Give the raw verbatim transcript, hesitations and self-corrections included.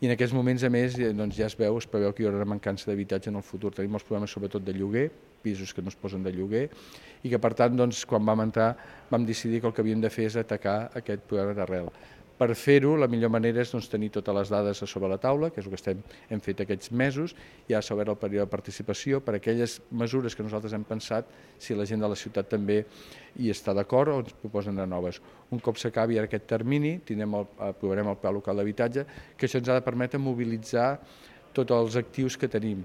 i en aquests moments, a més, doncs ja es veu, es preveu que hi haurà una mancança d'habitatge en el futur. Tenim els problemes sobretot de lloguer, pisos que no es posen de lloguer, i que per tant, doncs, quan vam entrar, vam decidir que el que havíem de fer és atacar aquest problema d'arrel. Per fer-ho, la millor manera és doncs, tenir totes les dades a sobre la taula, que és el que estem, hem fet aquests mesos, i ara s'ha obert el període de participació per a aquelles mesures que nosaltres hem pensat, si la gent de la ciutat també hi està d'acord o ens proposen de noves. Un cop s'acabi aquest termini, tindrem el, aprovarem el Pla Local d'Habitatge, que això ens ha de permetre mobilitzar tots els actius que tenim.